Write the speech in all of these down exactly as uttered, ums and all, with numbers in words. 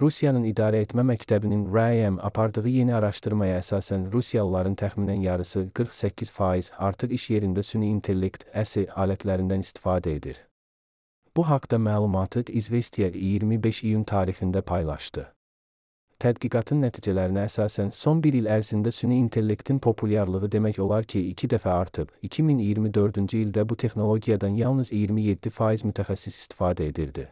Rusiyanın İdarə Etmə Məktəbinin R A M apardığı yeni araşdırmaya əsasən Rusiyalıların təxminən yarısı qırx səkkiz faiz artıq iş yerində süni intellekt əsi alətlərindən istifadə edir. Bu haqda məlumatı İzvestiya iyirmi beş iyun tarixində paylaşdı. Tədqiqatın nəticələrinə əsasən son bir il ərzində süni intellektin populyarlığı demək olar ki, iki dəfə artıb. iki min iyirmi dördüncü ildə bu texnologiyadan yalnız iyirmi yeddi faiz mütəxəssis istifadə edirdi.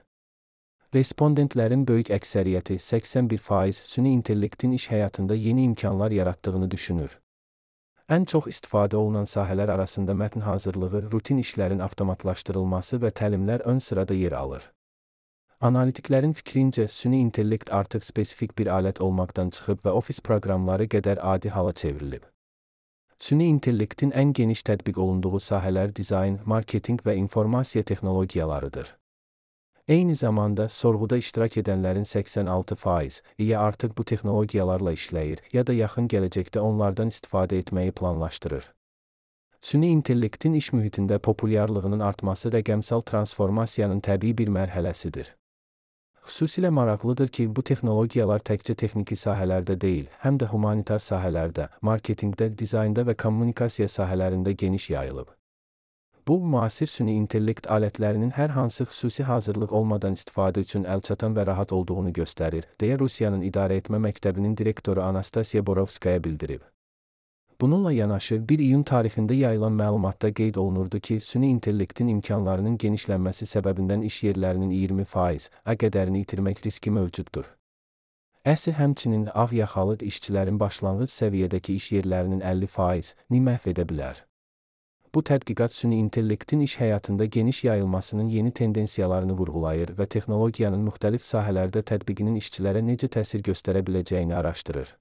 Respondentlərin böyük əksəriyyəti səksən bir faiz süni intellektin iş həyatında yeni imkanlar yaratdığını düşünür. Ən çox istifadə olunan sahələr arasında mətn hazırlığı, rutin işlərin avtomatlaşdırılması və təlimlər ön sırada yer alır. Analitiklərin fikrincə, süni intellekt artıq spesifik bir alət olmaqdan çıxıb və ofis proqramları qədər adi hala çevrilib. Süni intellektin ən geniş tətbiq olunduğu sahələr dizayn, marketinq və informasiya texnologiyalarıdır. Eyni zamanda, sorğuda iştirak edənlərin səksən altı faiz ya artıq bu texnologiyalarla işləyir, ya da yaxın gələcəkdə onlardan istifadə etməyi planlaşdırır. Süni intellektin iş mühitində populyarlığının artması rəqəmsal transformasiyanın təbii bir mərhələsidir. Xüsusilə maraqlıdır ki, bu texnologiyalar təkcə texniki sahələrdə deyil, həm də humanitar sahələrdə, marketinqdə, dizaynda və kommunikasiya sahələrində geniş yayılıb. Bu, müasir süni intellekt alətlərinin hər hansı xüsusi hazırlıq olmadan istifadə üçün əlçatan və rahat olduğunu göstərir, deyə Rusiyanın İdarə Etmə Məktəbinin direktoru Anastasiya Borovskaya bildirib. Bununla yanaşı, bir iyun tarixində yayılan məlumatda qeyd olunurdu ki, süni intellektin imkanlarının genişlənməsi səbəbindən iş yerlərinin iyirmi faiz qədərini itirmək riski mövcuddur. Əsi həmçinin ağ yaxalı işçilərin başlanğıc səviyyədəki iş yerlərinin əlli faizini məhv edə bilər. Bu tədqiqat süni intellektin iş həyatında geniş yayılmasının yeni tendensiyalarını vurğulayır və texnologiyanın müxtəlif sahələrdə tətbiqinin işçilərə necə təsir göstərə biləcəyini araşdırır.